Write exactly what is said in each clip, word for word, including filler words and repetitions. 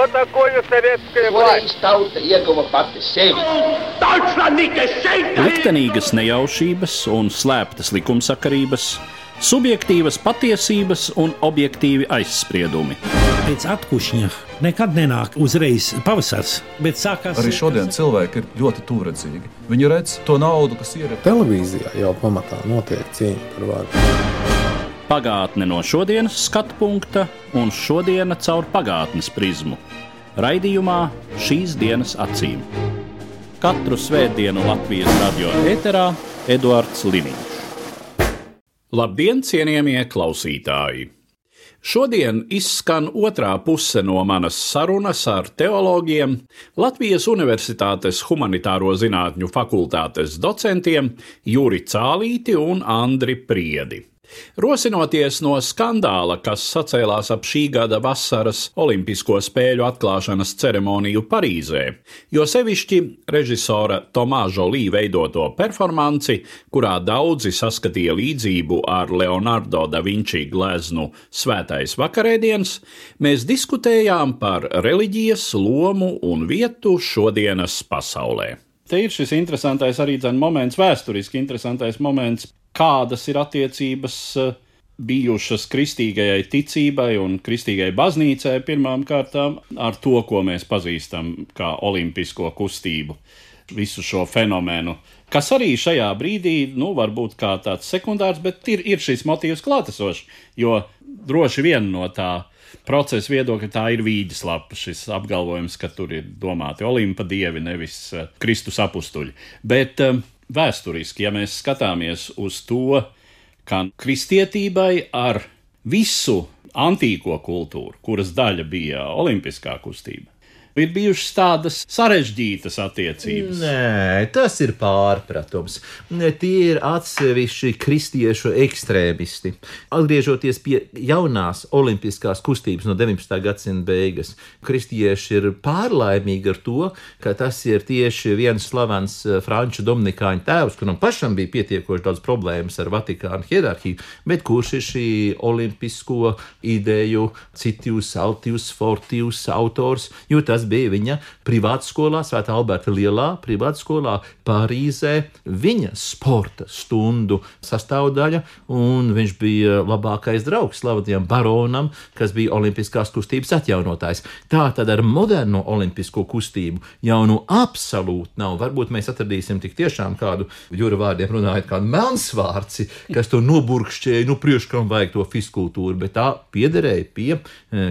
Что такое советская власть? Liktenīgas nejaušības un slēptas likumsakarības, subjektīvas patiesības un objektīvi aizspriedumi. Pēc atkušņa nekad nenāk uzreiz pavasars, bet sākās... Arī šodien cilvēki ir ļoti tūredzīgi. Viņi redz to naudu, kas ir... Televīzijā jau pamatā notiek cīņa par varu. Pagātne no šodienas skatu punkta un šodiena caur pagātnes prizmu. Raidījumā šīs dienas acīm. Katru svētdienu Latvijas radio ēterā Eduards Liniņš. Labdien, cienījamie klausītāji! Šodien izskan otrā puse no manas sarunas ar teologiem, Latvijas Universitātes humanitāro zinātņu fakultātes docentiem Juri Cālīti un Andri Priedi. Rosinoties no skandāla, kas sacēlās ap šī gada vasaras Olimpisko spēļu atklāšanas ceremoniju Parīzē, jo sevišķi režisora Tomā Žolī veidoto performanci, kurā daudzi saskatīja līdzību ar Leonardo da Vinci gleznu Svētais vakarēdiens, mēs diskutējām par reliģijas lomu un vietu šodienas pasaulē. Te ir šis interesantais arī dzen moments, vēsturiski interesantais moments, kādas ir attiecības bijušas kristīgajai ticībai un kristīgai baznīcai pirmām kārtām ar to, ko mēs pazīstam kā olimpisko kustību, visu šo fenomenu, kas arī šajā brīdī, nu, varbūt kā tāds sekundārs, bet ir, ir šis motīvs klātesošs, jo droši vien no tā procesa viedokļa tā ir vīģeslapa, šis apgalvojums, ka tur ir domāti Olimpa dievi, nevis Kristus apustuļi. Bet vēsturiski, ja mēs skatāmies uz to, ka kristietībai ar visu antīko kultūru, kuras daļa bija olimpiskā kustība, ir bijušas tādas sarežģītas attiecības. Nē, tas ir pārpratums. Tie ir atsevišķi kristiešu ekstrēmisti. Atgriežoties pie jaunās olimpiskās kustības no deviņpadsmitā gadsimta beigas, kristieši ir pārlaimīgi ar to, ka tas ir tieši viens slavens franču dominikāņu tēvs, kuram pašam bija pietiekoši daudz problēmas ar Vatikānu hierarhiju, bet kurš ir šī olimpisko ideju citius, altius, fortius autors, jo tas bija viņa privātskolā, Svētā Alberta lielā privātskolā Parīzē, viņa sporta stundu sastāvdaļa, un viņš bija labākais draugs slavajam baronam, kas bija olimpiskās kustības atjaunotājs. Tā tad ar moderno olimpisko kustību jau nu absolūti nav. Varbūt mēs atradīsim tik tiešām kādu, Jura vārdiem runājot, kādu melnsvārci, kas to noburkšķēja, nu priekškam vajag to fiskultūru, bet tā piederēja pie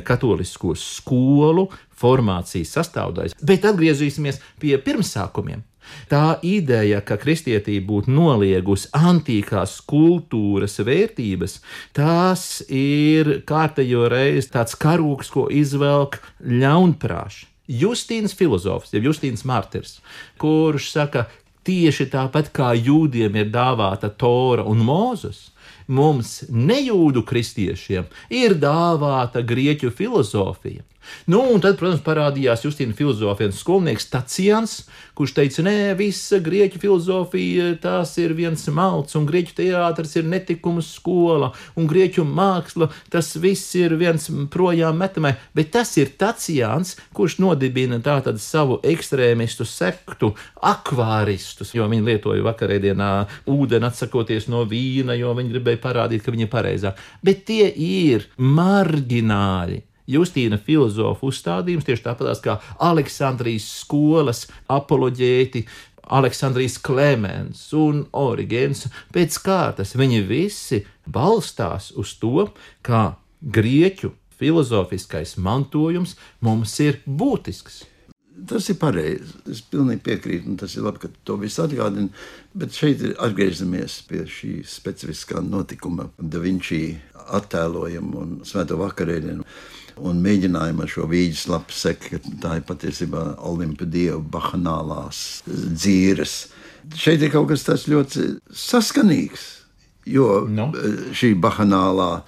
katolisko skolu formācijas sastāvdaļas. Bet atgriezīsimies pie pirmsākumiem. Tā ideja, ka kristietība būtu noliegusi antīkās kultūras vērtības, tās ir kārtējo reizi tāds karūks, ko izvelk ļaunprāši. Justīns filozofs, ja Justīns Martirs, kurš saka, tieši tāpat kā jūdiem ir dāvāta Tora un Mūzes, mums nejūdu kristiešiem ir dāvāta grieķu filozofija. Nu, un tad, protams, parādījās Justīna filozofijas skolnieks Tacians, kurš teica, nē, visa grieķu filozofija, tās ir viens malts, un grieķu teātris ir netikuma skola, un grieķu māksla, tas viss ir viens projām metamai, bet tas ir Tacians, kurš nodibina tātad savu ekstrēmistu sektu, akvāristus, jo viņi lietoja vakarēdienā ūdeni atsakoties no vīna, jo viņi gribēja parādīt, ka viņi ir pareizāk. Bet tie ir marģināļi. Justīna filozofu uzstādījums, tieši tāpatās kā Aleksandrijas skolas apoloģēti, Aleksandrijas Klemens un Origēns pēc kārtas. Viņi visi balstās uz to, kā grieķu filozofiskais mantojums mums ir būtisks. Tas ir pareizi, es pilnīgi piekrītu, un tas ir labi, ka to visu atgādina, bet šeit atgriežamies pie šī specifiskā notikuma, Da Vinci attēlojumu un Svēto vakarēdienu, un mēģinājumu ar šo vīģeslapu sekt, ka tā ir patiesībā Olimpa dievu bahanālās dzīres. Šeit ir kaut kas tāds ļoti saskanīgs, jo no. šī bahanālā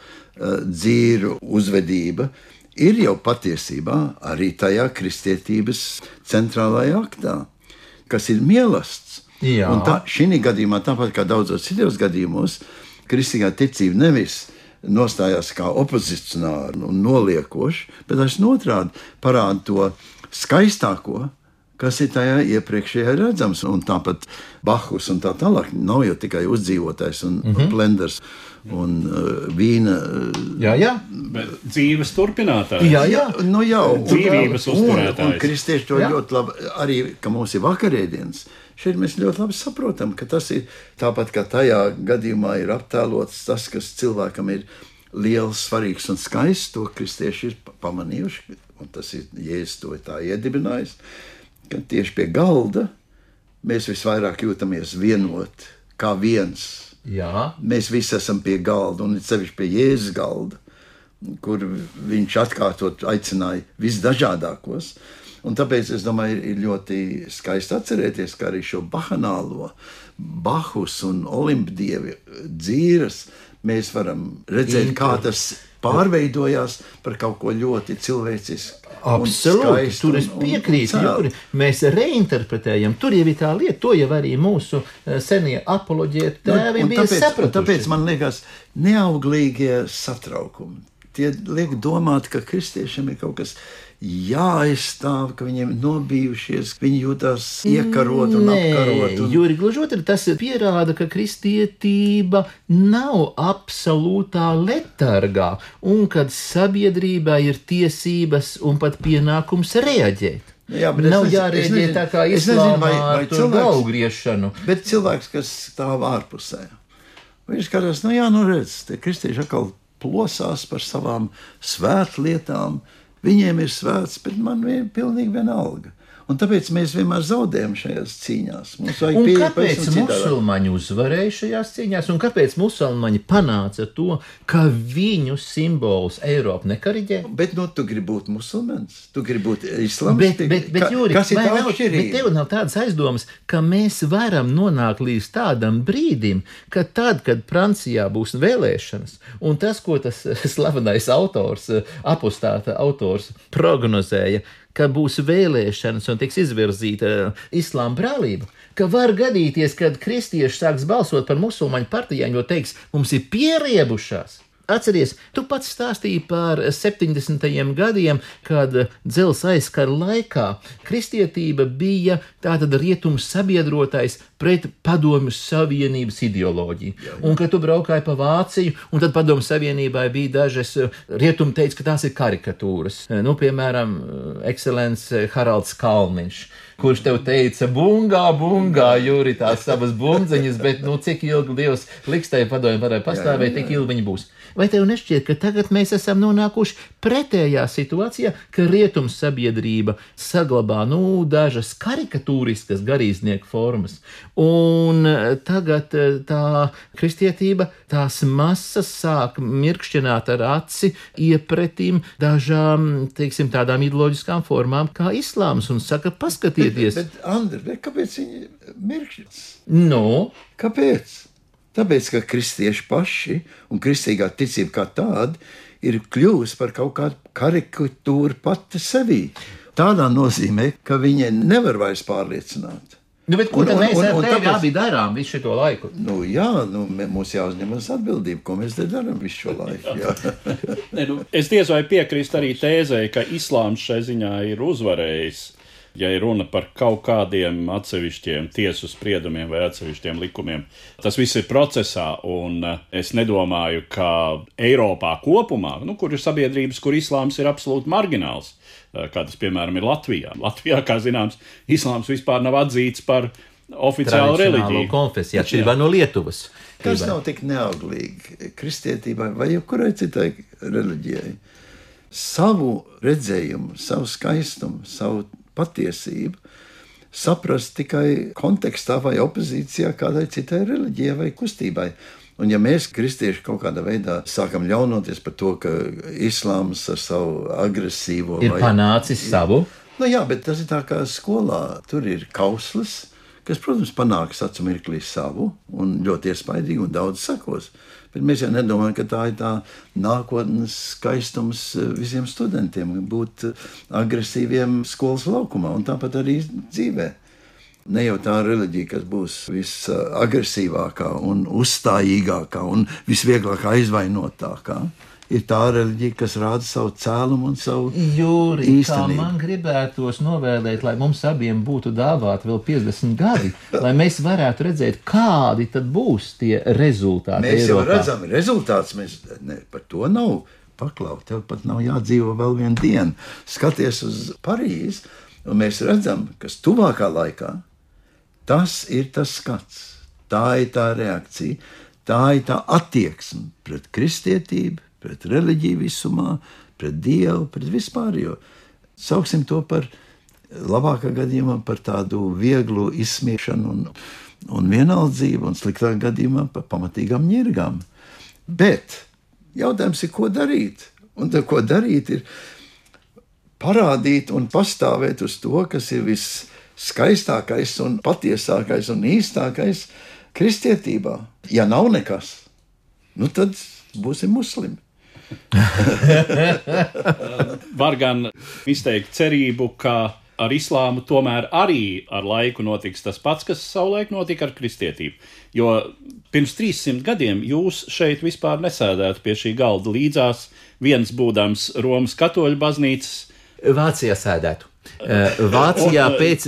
dzīru uzvedība ir jau patiesībā arī tajā kristietības centrālajā aktā, kas ir mielasts. Jā. Un tā, šī gadījumā, tāpat kā daudzos citos gadījumos, kristīgā ticība nevis nostājās kā opozicionāri un noliekoši, bet es otrādi parādu to skaistāko, kas ir tajā iepriekšējā redzams. Un tāpat Bahus un tā tālāk nav jau tikai uzdzīvotājs un mm-hmm. blenders un uh, vīna. Uh, jā, jā. Bet dzīves turpinātājs. Jā, jā. Nu jau. Dzīvības uzturētājs. Un, un kristieši to Jā. ļoti labi, arī, ka mums ir vakarēdienas. Šeit mēs ļoti labi saprotam, ka tas ir tāpat kā tajā gadījumā ir aptēlots tas, kas cilvēkam ir liels, svarīgs un skaists, to kristieši ir pamanījuši, un tas ir Jēzus to tā iedibinājis, ka tieši pie galda mēs visvairāk jūtamies vienot, kā viens. Jā. Mēs visi esam pie galda, un sevišķi pie Jēzus galda, kur viņš atkārtot aicināja visdažādākos. Un tāpēc es domāju, ir ļoti skaisti atcerēties, ka arī šo bahanālo Bahus un Olimpdievi dzīves mēs varam redzēt, kā tas pārveidojās par kaut ko ļoti cilvēcisku. Absolūti, tur es piekrītu. Juri. Mēs reinterpretējam, tur jau ir tā lieta, to jau arī mūsu senie apoloģēti tēvi bija sapratuši. Tāpēc man liekas, neauglīgie satraukumi. Tie liek domāt, ka kristiešiem ir kaut kas jāaizstāv, ka viņiem nobijušies, viņi jūtās iekarot un Nē, apkarot. Un... Juri, gluži otrādi, tas pierāda, ka kristietība nav absolūtā letargā, un kad sabiedrībā ir tiesības un pat pienākums reaģēt. Jā, bet nav es nezinu, jārēģē es nezinu, tā kā es nezinu, islāmā vai- vai ar tur cilvēks- galvgriešanu. Bet cilvēks, kas stāv ārpusē, viņš skatās, nu jā, nu redz, tie kristieši atkal plosās par savām svētlietām. Viņiem ir svēts, bet man ir pilnīgi vienalga. Un tāpēc mēs vienmēr zaudējam šajās cīņās. Mums vajag Un pieeja kāpēc pavisam citādāk. musulmaņi uzvarēja šajās cīņās, un kāpēc musulmaņi panāca to, ka viņu simbols Eiropa nekariģē? Bet nu, tu gribi būt musulmanis, tu gribi būt islāms. Bet, bet, bet, Jūri, kas ir vai tā nav- bet atšķirība? tev nav tādas aizdomas, ka mēs varam nonākt līdz tādam brīdim, ka tad, kad Francijā būs vēlēšanas, un tas, ko tas slavenais autors, apostāta autors prognozēja, ka būs vēlēšanas un tiks izvirzīta islāma brālība, ka var gadīties, kad kristieši sāks balsot par musulmaņu partijām, jo teiks, mums ir pieriebušās. Atceries, tu pats stāstīji par septiņdesmitajiem gadiem, kad dzelzs aizkara laikā kristietība bija tātad rietums sabiedrotais pret Padomju Savienības ideoloģiju. Jā, jā. Un kad tu braukāji pa Vāciju, un tad Padomju Savienībai bija dažas, rietumi teica, ka tās ir karikatūras. Nu, piemēram, ekscelence Haralds Kalniņš, kurš tev teica, bungā, bungā, Jūri, tās savas bumdziņas, bet, nu, cik ilgi Dievs liks tai padomju varēja pastāvēt, tik ilgi viņi būs. Vai tev nešķiet, ka tagad mēs esam nonākuši pretējā situācijā, ka rietums sabiedrība saglabā, nu, dažas karikatūriskas garīdznieku formas, un tagad tā kristietība, tās masas sāk mirkšķināt ar aci iepretim dažām, teiksim, tādām ideoloģiskām formām kā islāms, un saka, paskatieties. Bet, bet Andri, kāpēc viņi mirkšķis? Nu? Kāpēc? Tāpēc, ka kristieši paši un kristīgā ticība kā tāda ir kļuvusi par kaut kādu karikatūru pati sevī. Tādā nozīmē, ka viņi nevar vairs pārliecināt. Nu, bet ko Un- tad un- mēs un- ar un tevi tāpēc- abi darām visu šo laiku? Nu, jā, nu, mē- mums jāuzņemas atbildība, ko mēs te darām visu šo laiku. Jā. Ne, nu, es diez vai piekrīstu arī tēzē, ka islāms šai ziņā ir uzvarējis. Ja ir runa par kaut kādiem atsevišķiem tiesu spriedumiem vai atsevišķiem likumiem, tas viss ir procesā, un eh, es nedomāju, ka Eiropā kopumā, nu, kur ir sabiedrības, kur islāms ir absolūti margināls, eh, kā tas, piemēram, ir Latvijā. Latvijā, kā zināms, islāms vispār nav atzīts par oficiālu reliģiju. Konfesiju, atšķirībā no Lietuvas. Tas nav tik neauglīgi kristietībai vai jebkurai citai reliģijai. Savu redzējumu, savu skaistumu, savu patiesību saprast tikai kontekstā vai opozīcijā kādai citai reliģijai vai kustībai. Un ja mēs, kristieši, kaut kādā veidā sākam ļaunoties par to, ka islāms ar savu agresīvo Ir vai... panācis savu. Nu jā, bet tas ir tā kā skolā. Tur ir kauslis, kas, protams, panāks acu mirklī savu un ļoti iespaidīgi un daudz sakos. Bet mēs jau nedomājam, ka tā ir tā nākotnes skaistums visiem studentiem būt agresīviem skolas laukumā un tāpat arī dzīvē. Ne jau tā reliģija, kas būs visagresīvākā un uzstājīgākā un visvieglāk aizvainotākā. Ir tā reliģija, kas rāda savu cēlumu un savu Jūri, īstenību. kā man gribētos novēlēt, lai mums abiem būtu dāvāti vēl piecdesmit gadi, lai mēs varētu redzēt, kādi tad būs tie rezultāti Mēs jau Eiropā. redzam rezultātus, mēs ne, par to nav paklaut, tev pat nav jādzīvo vēl vienu dienu. Skaties uz Parīzi, un mēs redzam, kas tuvākā laikā, tas ir tas skats, tā ir tā reakcija, tā ir tā attieksme pret kristietību, pret reliģiju visumā, pret Dievu, pret vispārējo. Sauksim to par labākā gadījumā par tādu vieglu izsmiešanu un, un vienaldzību, un sliktā gadījumā par pamatīgām ņirgām. Bet jautājums ir, ko darīt? Un tā, ko darīt, ir parādīt un pastāvēt uz to, kas ir visskaistākais un patiesākais un īstākais kristietībā. Ja nav nekas, nu tad būsim muslimi. Var gan izteikt cerību, ka ar islāmu tomēr arī ar laiku notiks tas pats, kas savulaik notika ar kristietību. Jo pirms trīssimt gadiem jūs šeit vispār nesēdētu pie šī galda līdzās, viens būdams Romas katoļu baznīcas. Vācijā sēdētu. Vācijā pēc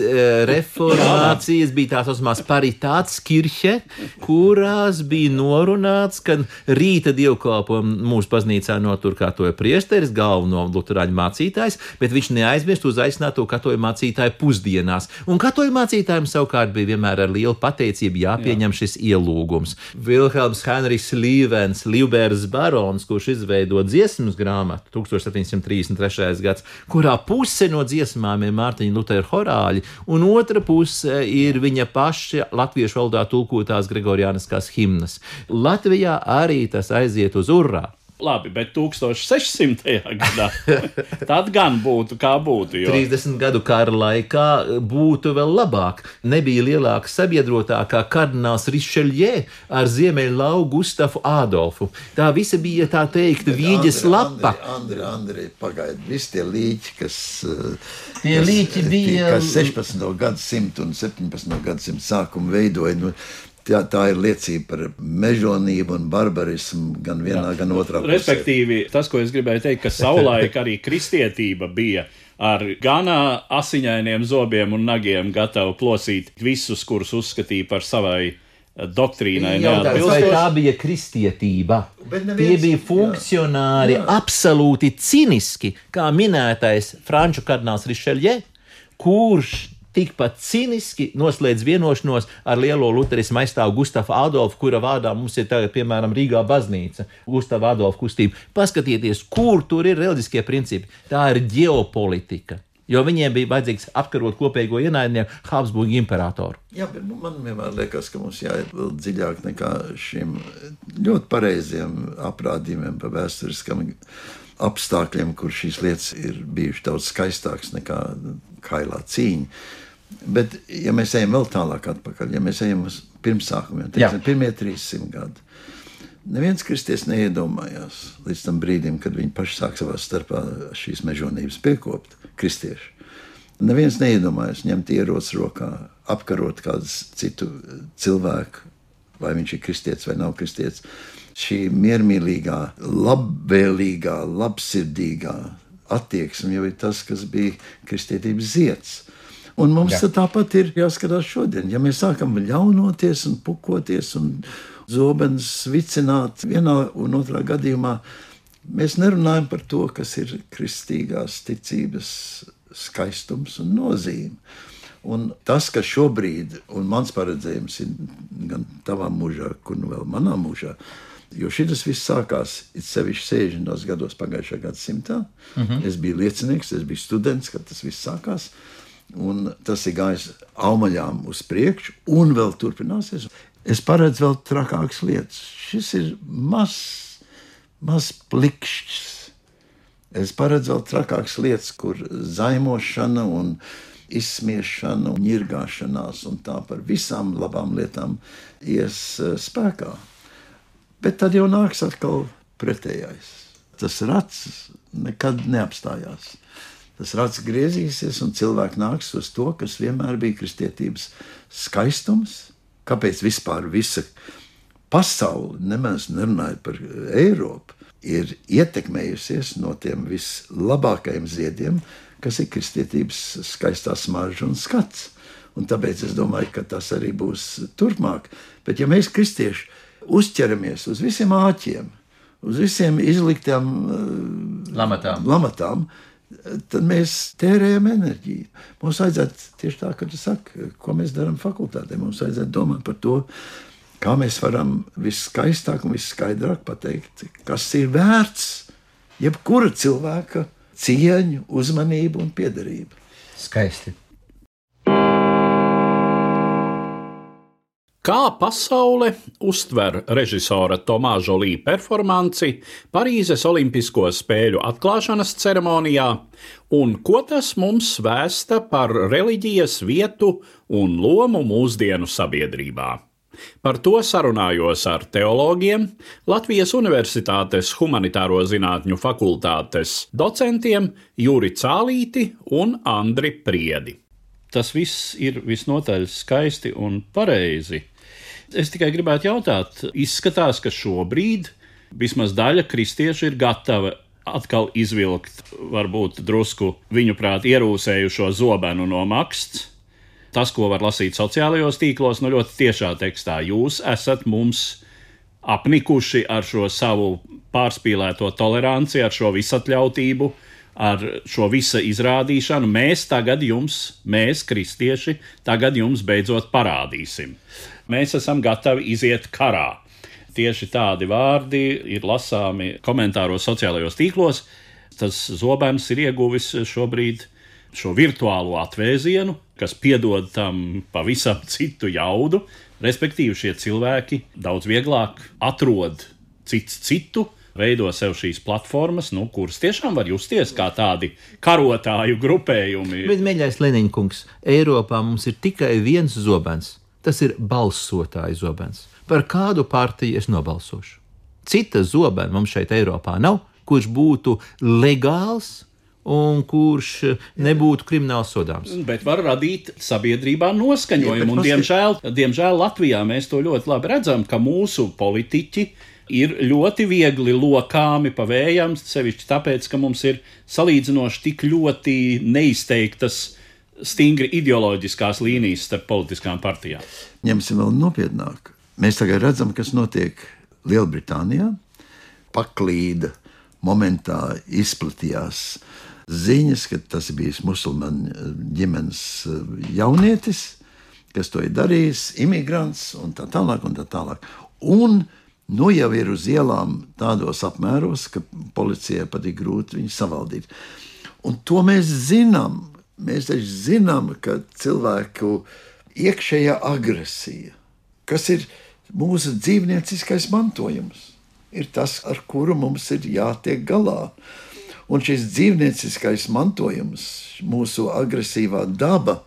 reformācijas bija tā saucamās paritātes kirhe, kurās bija norunāts, ka rīta dievkalpojumu mūsu baznīcā notur katoļu priesteris, galveno luterāņu mācītājs, bet viņš neaizmirst uzaicināt to katoļu mācītāju pusdienās. Un katoļu mācītājiem savukārt bija vienmēr ar lielu pateicību jāpieņem šis ielūgums. Vilhelms Henrijs Līvens, Līvbērs barons, kurš izveido dziesmas grāmatu tūkstoš septiņsimt trīsdesmit trešais gads, kurā puse no dziesmām ir Mārtiņa Lutera horāļi, un otra puse ir viņa paša latviešu valodā tulkotās gregoriāniskās himnas. Latvijā arī tas aiziet uz urrā. Labi, bet tūkstoš sešsimtajā gadā tad gan būtu kā būtu. Jo... trīsdesmit gadu kara laikā būtu vēl labāk. Nebija lielāka sabiedrotā kā kardināls Rišeļjē ar ziemeļlau Gustafu Ādolfu. Tā visa bija, tā teikt, vīģes lapa. Andri, Andri, Andri, pagaid, visi tie līķi, kas, tie kas, līķi bija... kas sešpadsmito gadsimtu un septiņpadsmito gadsimtu sākumu veidoja, nu, Tā, tā ir liecība par mežonību un barbarismu gan vienā, Jā. gan otrā pusē. Respektīvi, tas, ko es gribēju teikt, ka savulaik arī kristietība bija ar gan asiņainiem zobiem un nagiem gatava plosīt visus, kurus uzskatīja par savai doktrīnai. Jautājums, vai tā bija kristietība? Neviens, Tie bija funkcionāri, jā, jā. absolūti ciniski, kā minētais franču kardināls Rišeļjē, kurš tikpat ciniski noslēdz vienošanos ar lielo luterismu aizstāvu Gustafu Ādolfu, kura vārdā mums ir tagad, piemēram, Rīgā baznīca, Gustava Ādolfa kustība. Paskatieties, kur tur ir reliģiskie principi. Tā ir ģeopolitika, jo viņiem bija vajadzīgs apkarot kopējo ienaidnieku Habsburgu imperatoru. Jā, bet nu, man vienmēr liekas, ka mums jāiet vēl dziļāk nekā šiem ļoti pareiziem aprādījumiem par vēsturiskam apstākļiem, kur šīs lietas ir bijušas daudz skaistākas nekā kailā cīņa. Bet, ja mēs ejam vēl tālāk atpakaļ, ja mēs ejam uz pirmsākumiem, teiksim, pirmie trīssimt gadi, neviens kristietis neiedomājās līdz tam brīdim, kad viņi paši sāk savā starpā šīs mežonības piekopt, kristieši. Neviens neiedomājās ņemt ieroci rokā, apkarot kādu citu cilvēku, vai viņš ir kristietis vai nav kristietis. Šī miermīlīgā, labvēlīgā, labsirdīgā attieksme jau ir tas, kas bija kristietības zieds. Un mums Jā. tāpat ir jāskatās šodien. Ja mēs sākam ļaunoties un pukoties un zobenus vicināt vienā un otrā gadījumā, mēs nerunājam par to, kas ir kristīgās ticības skaistums un nozīme. Un tas, ka šobrīd, un mans paredzējums ir gan tavā mūžā, kur nu vēl manā mūžā, jo šis viss sākās it sevišķi sešdesmitos gados pagājušā gadsimtā. Mm-hmm. Es biju liecinieks, es biju students, kad tas viss sākās. Un tas ir gājis aumaļām uz priekšu, un vēl turpināsies. Es paredzu vēl trakākas lietas. Šis ir mazs, maz plikšķis. Es paredzu vēl trakākas lietas, kur zaimošana un izsmiešana un ņirgāšanās un tā par visām labām lietām ies spēkā. Bet tad jau nāks atkal pretējais. Tas rats nekad neapstājās. tas rats griezīsies un cilvēki nāks uz to, kas vienmēr bija kristietības skaistums. Kāpēc vispār visa pasaule, nemaz nerunājot par Eiropu, ir ietekmējusies no tiem vislabākajiem ziediem, kas ir kristietības skaistā smarža un skats. Un tāpēc es domāju, ka tas arī būs turpmāk. Bet ja mēs kristieši uzķeramies uz visiem āķiem, uz visiem izliktām Lamatām. lamatām, tad mēs tērējam enerģiju. Mums vajadzētu tieši tā, ka tu saki, ko mēs darām fakultātē. Mums vajadzētu domāt par to, kā mēs varam viskaistāk un visskaidrāk pateikt, kas ir vērts jebkura cilvēka cieņu, uzmanību un piederību. Skaisti. Kā pasaule uztver režisora Tomā Žolī performanci Parīzes Olimpisko spēļu atklāšanas ceremonijā un ko tas mums vēsta par reliģijas vietu un lomu mūsdienu sabiedrībā? Par to sarunājos ar teologiem, Latvijas Universitātes humanitāro zinātņu fakultātes docentiem Juri Cālīti un Andri Priedi. Tas viss ir visnotaļ skaisti un pareizi. Es tikai gribētu jautāt, izskatās, ka šobrīd vismaz daļa kristiešu ir gatava atkal izvilkt varbūt drusku viņuprāt ierūsējušo zobenu no maksts. Tas, ko var lasīt sociālajos tīklos, no ļoti tiešā tekstā. Jūs esat mums apnikuši ar šo savu pārspīlēto toleranci, ar šo visatļautību, ar šo visa izrādīšanu. Mēs tagad jums, mēs kristieši, tagad jums beidzot parādīsim. Mēs esam gatavi iziet karā. Tieši tādi vārdi ir lasāmi komentāros sociālajos tīklos. Tas zobens ir ieguvis šobrīd šo virtuālo atvēzienu, kas piedod tam pavisam citu jaudu. Respektīvi šie cilvēki daudz vieglāk atrod cits citu, veido sev šīs platformas, nu, kuras tiešām var justies kā tādi karotāju grupējumi. Bet, mīļais Leniņkungs, Eiropā mums ir tikai viens zobens. Tas ir balsotāju zobens. Par kādu partiju es nobalsošu? Cita zobena mums šeit Eiropā nav, kurš būtu legāls un kurš nebūtu krimināli sodāms. Bet var radīt sabiedrībā noskaņojumu. Un, diemžēl, diemžēl Latvijā mēs to ļoti labi redzam, ka mūsu politiķi ir ļoti viegli lokāmi pa vējam, sevišķi tāpēc, ka mums ir salīdzinoši tik ļoti neizteiktas stingri ideoloģiskās līnijas starp politiskām partijām. Ņemsim vēl nopietnāk. Mēs tagad redzam, kas notiek Lielbritānijā. Paklīda momentā izplatījās ziņas, ka tas ir bijis musulmaņu ģimenes jaunietis, kas to ir darījis, imigrants un tā tālāk un tā tālāk. Un nu jau ir uz ielām tādos apmēros, ka policijai pat ir grūti viņu savaldīt. Un to mēs zinām. Mēs taču zinām, ka cilvēku iekšējā agresija, kas ir mūsu dzīvnieciskais mantojums, ir tas, ar kuru mums ir jātiek galā. Un šis dzīvnieciskais mantojums, mūsu agresīvā daba,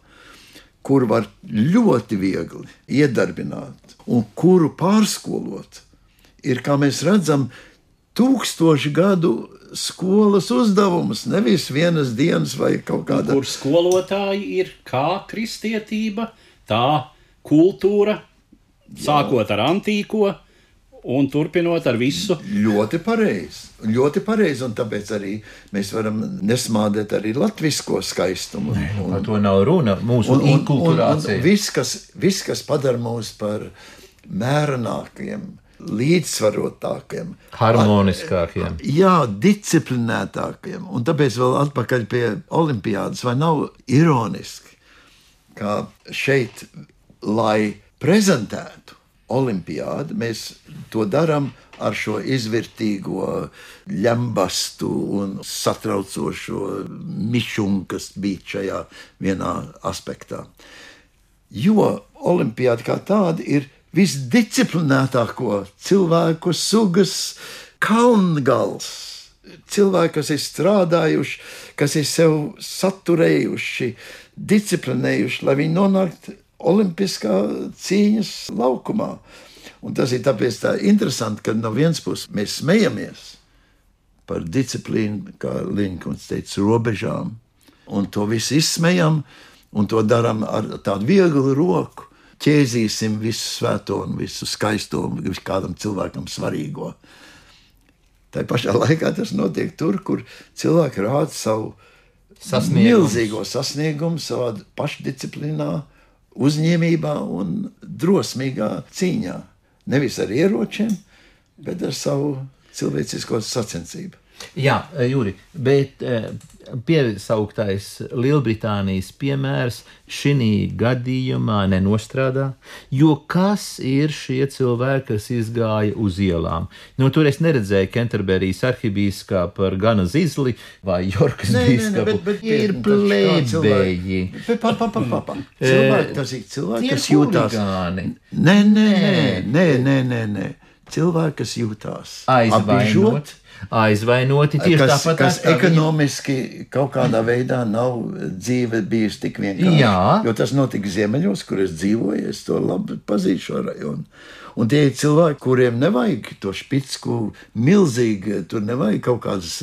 kuru var ļoti viegli iedarbināt un kuru pārskolot, ir, kā mēs redzam, tūkstoši gadu skolas uzdevums, nevis vienas dienas vai kaut kāda. Kur skolotāji ir kā kristietība, tā kultūra, sākot ar antīko un turpinot ar visu. Ļoti pareizi, ļoti pareizi, un tāpēc arī mēs varam nesmādēt arī latvisko skaistumu. Nē, un, par to nav runa, mūsu inkulturācija. Viss, kas, vis, kas padara mūs par mērenākiem, līdzsvarotākiem, harmoniskākiem. Jā, disciplinētākiem. Un tāpēc vēl atpakaļ pie olimpiādas, vai nav ironiski, ka šeit, lai prezentētu olimpiādu, mēs to darām ar šo izvērtīgo ļambastu un satraucošo mišumu, kas bija šajā vienā aspektā. Jo olimpiāda kā tāda ir visdisciplinētāko cilvēku sugas kalngals. Cilvēki, kas ir strādājuši, kas ir sev saturējuši, disciplinējuši, lai viņi nonāktu olimpiskā cīņas laukumā. Un tas ir tāpēc tā interesanti, ka no vienas puses mēs smejamies par disciplīnu, kā Liņkungs teica, robežām, un to visu izsmejam, un to darām ar tādu vieglu roku. Ķēzīsim visu svēto un visu skaisto, visu kādam cilvēkam svarīgo. Tā pašā laikā tas notiek tur, kur cilvēki rāda savu Sasniegums. milzīgo sasniegumu savā pašdisciplīnā, uzņēmībā un drosmīgā cīņā. Nevis ar ieročiem, bet ar savu cilvēcisko sacensību. Jā, Juri, bet piesauktais Lielbritānijas piemērs šī gadījumā nenostrādā, jo kas ir šie cilvēki, kas izgāja uz ielām? Nu, tur es neredzēju Kenterberijas arhibīskapu ar gana zizli vai Jorkas bīskapu. Tie ir plēbēji. Pa, pa, pa, pa, pa. Cilvēki, tas ir cilvēki, kas jūtās. Huligāni. Nē, nē, nē, nē, nē, nē. Cilvēki, kas jūtās Aizvainot. Aizvainoti tieši kas, tāpat. Kas ekonomiski kaut kādā veidā nav dzīve bijusi tik vienkārši. Jā. Jo tas notika Ziemeļos, kur es dzīvoju, es to labi pazīstu šo rajonu. Un tie ir cilvēki, kuriem nevajag to špicku milzīgi, tur nevajag kaut kādas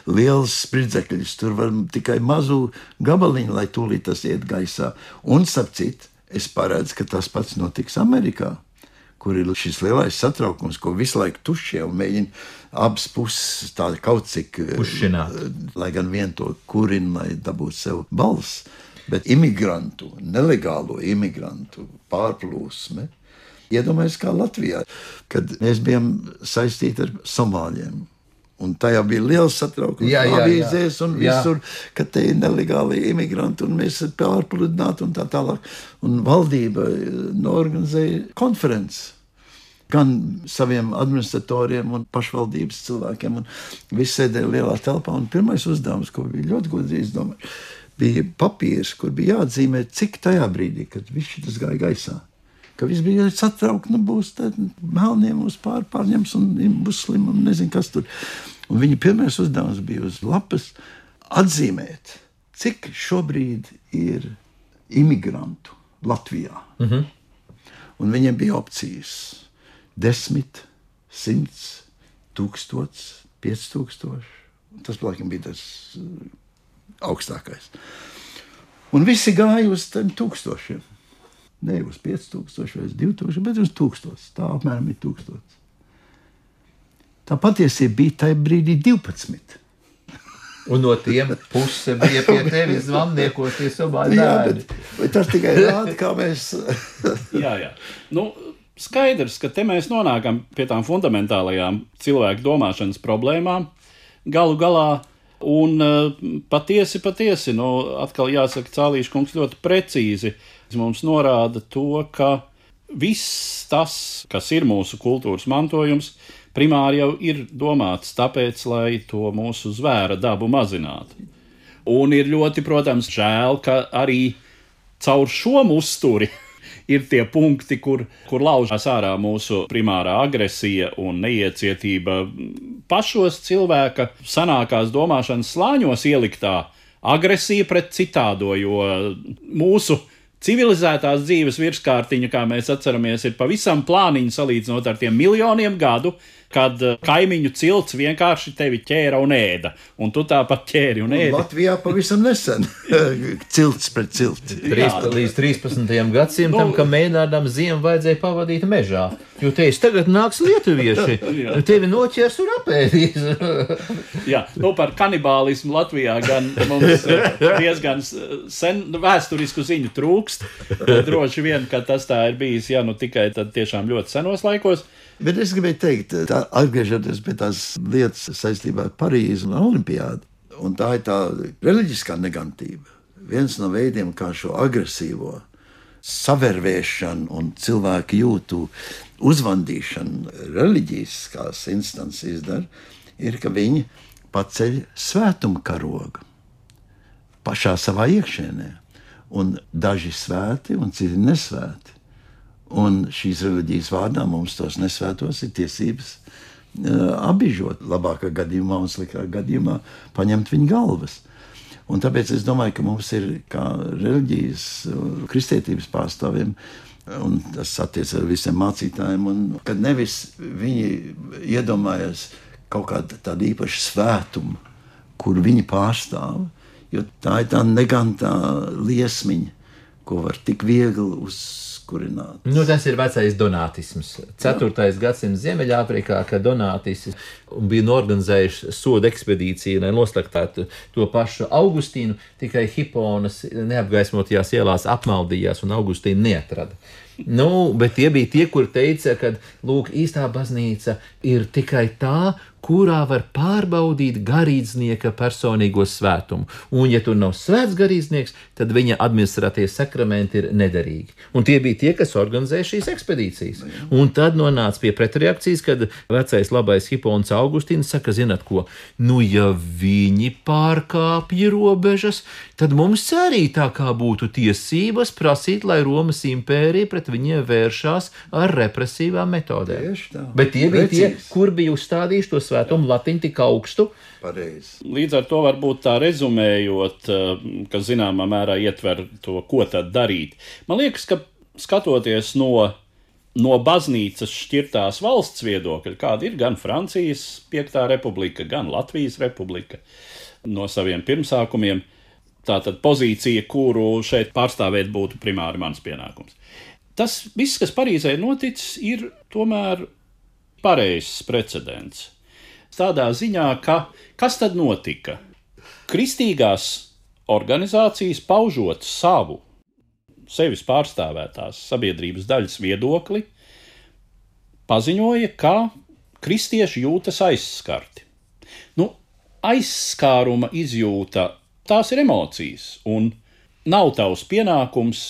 lielas spridzekļus, tur var tikai mazu gabaliņu, lai tūlīt tas iet gaisā. Un, starp citu, es paredzu, ka tas pats notiks Amerikā, kur ir šis lielais satraukums, ko visu laiku tušie un mēģina abas puses tādi kaut cik Pušināt. Lai gan vien to kurina, lai dabūtu sev balss. Bet imigrantu, nelegālo imigrantu pārplūsme, iedomājies kā Latvijā, kad mēs bijām saistīti ar Somāļiem. Un tajā bija liels satraukums, Jā, jā, avīzēs un jā. visur, ka te ir nelegāli imigranti un mēs pārpludināti un tā tālāk. Un valdība norganizēja konferenci gan saviem administratoriem un pašvaldības cilvēkiem, un visi sēdēja lielā telpā, un pirmais uzdevums, ko bija ļoti gudri izdomāt, bija papīrs, kur bija jāatzīmē, cik tajā brīdī, kad viss tas gāja gaisā, ka viss bija satraukt, nu būs tad melniem uz pār, pārņems un būs slim un nezinu, kas tur. Un viņa pirmais uzdevums bija uz lapas atzīmēt, cik šobrīd ir imigrantu Latvijā. Mhm. Un viņiem bija opcijas. Desmit, simts, tūkstots, piec tūkstoši. Tas, laikam, bija tas uh, augstākais. Un visi gāja uz tiem tūkstošiem. Ne uz piec tūkstoši vai uz divi tūkstoši, bet uz tūkstots. Tā apmēram ir tūkstots. Tā patiesība bija tajā brīdī divpadsmit. Un no tiem puse bija pie tevis zvamniekos, tie Somāļi Jā, bērni. bet, bet tas tikai rāda, kā mēs... Jā, jā. Nu, skaidrs, ka te mēs nonākam pie tām fundamentālajām cilvēku domāšanas problēmām galu galā, un uh, patiesi, patiesi, nu, atkal jāsaka, Cālīša kungs ļoti precīzi mums norāda to, ka viss tas, kas ir mūsu kultūras mantojums, primāri jau ir domāts tāpēc, lai to mūsu zvēra dabu mazinātu. Un ir ļoti, protams, žēl, ka arī caur šo uzturi ir tie punkti, kur, kur laužās ārā mūsu primārā agresija un neiecietība pašos cilvēka sanākās domāšanas slāņos ieliktā agresija pret citādo, jo mūsu civilizētās dzīves virskārtiņa, kā mēs atceramies, ir pavisam plāniņa salīdzinot ar tiem miljoniem gadu, kad kaimiņu cilts vienkārši tevi ķēra un ēda, un tu tāpat ķēri un ēdi. Latvijā pavisam nesen cilts pret cilti. Trīs, līdz trīspadsmitajam gadsimtam, Nu, ka mēģinādam ziemu vajadzēja pavadīt mežā. Jo teiks, tagad nāks lietuvieši, tevi noķers un apēdīs. Jā, nu par kanibālismu Latvijā gan mums diezgan sen vēsturisku ziņu trūkst. Droši vien, ka tas tā ir bijis, ja nu tikai tad tiešām ļoti senos laikos. Bet es gribēju teikt, tā, atgriežoties pie tās lietas saistībā ar Parīzi un Olimpiādu, un tā ir tā reliģiskā negantība. Viens no veidiem, kā šo agresīvo savervēšanu un cilvēku jūtu uzvandīšanu reliģiskās instances izdara, ir, ka viņi paceļ svētuma karogu pašā savā iekšēnē. Un daži svēti un citi nesvēti. Un šīs reliģijas vārdā mums tos nesvētos ir tiesības uh, apbižot. Labākā gadījumā un sliktākā gadījumā paņemt viņu galvas. Un tāpēc es domāju, ka mums ir kā reliģijas, kristietības pārstāvjiem, un tas attiec ar visiem mācītājiem, un kad nevis viņi iedomājas kaut kādu tādu īpašu svētumu, kur viņi pārstāv, jo tā ir tā negantā liesmiņa, ko var tik viegli uzkurināt. Nu, tas ir vecais donātisms. ceturtais gadsimts Ziemeļāfrikā, kad donātisti bija norganizējuši sodu ekspedīciju, lai noslaktētu to pašu Augustīnu, tikai Hiponas neapgaismotajās ielās apmaldījās un Augustīnu neatrada. Nu, bet tie bija tie, kuri teica, ka, lūk, īstā baznīca ir tikai tā, kurā var pārbaudīt garīdznieka personīgo svētumu. Un, ja tur nav svēts garīdznieks, tad viņa administratīvie sakramenti ir nederīgi. Un tie bija tie, kas organizēja šīs ekspedīcijas. Un tad nonāca pie pretreakcijas, kad vecais labais Hipons Augustīns saka, zināt ko, nu, ja viņi pārkāpja robežas, tad mums arī tā kā būtu tiesības prasīt, lai Romas impērija pret viņiem vēršās ar represīvām metodēm. Tieši tā. Bet tie bija tie, Precīzi. kur bija uzstādījuši to svētumu latiņu tik augstu. Pareizi. Līdz ar to varbūt tā rezumējot, ka zināmā mērā ietver to, ko tad darīt. Man liekas, ka skatoties no, no baznīcas šķirtās valsts viedokļa, kāda ir gan Francijas piektā republika, gan Latvijas republika, no saviem pirmsākumiem, tātad pozīcija, kuru šeit pārstāvēt būtu primāri mans pienākums. Tas viss, kas Parīzē ir noticis, ir tomēr pareizs precedents. Tādā ziņā, ka kas tad notika? Kristīgās organizācijas paužot savu, sevis pārstāvētās sabiedrības daļas viedokli, paziņoja, ka kristieši jūtas aizskarti. Nu, aizskāruma izjūta, tās ir emocijas, un nav tavs pienākums,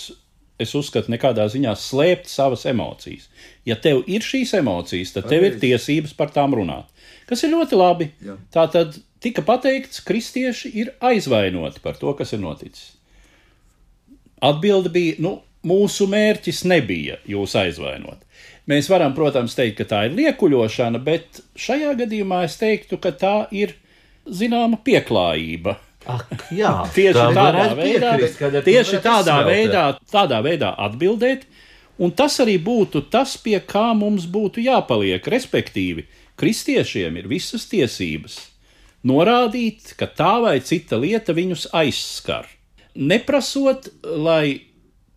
es uzskatu, nekādā ziņā slēpt savas emocijas. Ja tev ir šīs emocijas, tad tev ir tiesības par tām runāt. Kas ir ļoti labi. Jā. Tātad tika pateikts, kristieši ir aizvainoti par to, kas ir noticis. Atbilde bija, nu, mūsu mērķis nebija jūs aizvainot. Mēs varam, protams, teikt, ka tā ir liekuļošana, bet šajā gadījumā es teiktu, ka tā ir zināma pieklājība. Ak, jā, Tieši tam tādā varētu veidā, piekrist, kad ar to tieši varētu tādā izsmeltēt. veidā, tādā veidā atbildēt, un tas arī būtu tas, pie kā mums būtu jāpaliek, respektīvi, kristiešiem ir visas tiesības norādīt, ka tā vai cita lieta viņus aizskar. Neprasot, lai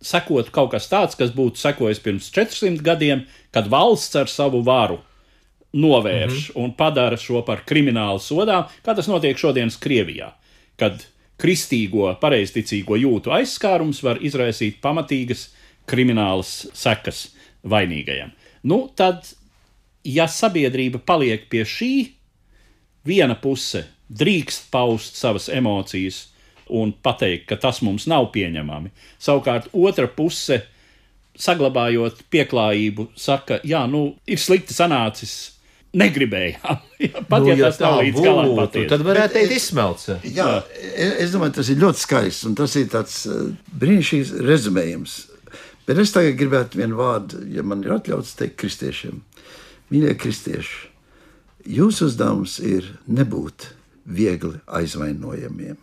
sekotu kaut kas tāds, kas būtu sekojis pirms četrsimt gadiem, kad valsts ar savu varu novērš mm-hmm. un padara šo par kriminālu sodām, kā tas notiek šodienas Krievijā, kad kristīgo, pareizticīgo jūtu aizskārums var izraisīt pamatīgas kriminālas sekas vainīgajam. Nu, tad, ja sabiedrība paliek pie šī, viena puse drīkst paust savas emocijas un pateikt, ka tas mums nav pieņemami. Savukārt otra puse, saglabājot pieklājību, saka, jā, nu, ir slikti sanācis, negribējām. Pat, Nu, ja ja tas nav tā līdz galam būtu, patiesi. tad varētu Bet teikt es- izsmelts. Jā, es, es domāju, tas ir ļoti skaists un tas ir tāds uh, brīnišķīgs rezumējums. Bet es tagad gribētu vienu vārdu, ja man ir atļauts teikt kristiešiem. Mīļie kristieši, jūsu uzdevums ir nebūt viegli aizvainojamiem.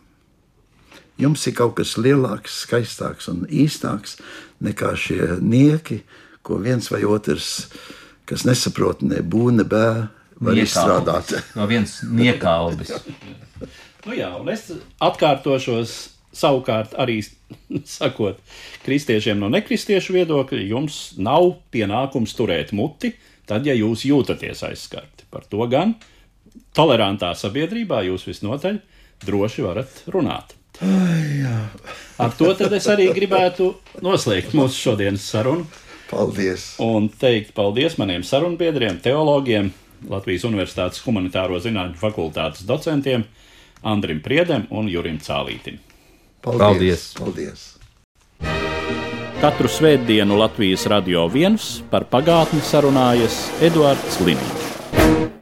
Jums ir kaut kas lielāks, skaistāks un īstāks nekā šie nieki, ko viens vai otrs, kas nesaprot ne bū, ne bē, var Niekalbis. izstrādāt. No viens niekalbis. Nu jā, un es atkārtošos savukārt arī sakot kristiešiem no nekristiešu viedokļa, jums nav pienākums turēt muti, tad, ja jūs jūtaties aizskarti. Par to gan tolerantā sabiedrībā jūs visnotaļ droši varat runāt. Ai, jā. Ar to tad es arī gribētu noslēgt mūsu šodienas sarunu Paldies! un teikt paldies maniem sarunbiedriem, teologiem, Latvijas Universitātes humanitāro zinātņu fakultātes docentiem Andrim Priedem un Jurim Cālītim. Paldies. Paldies. Katru svētdienu Latvijas Radio viens par pagātni sarunājas Eduards Liniņš.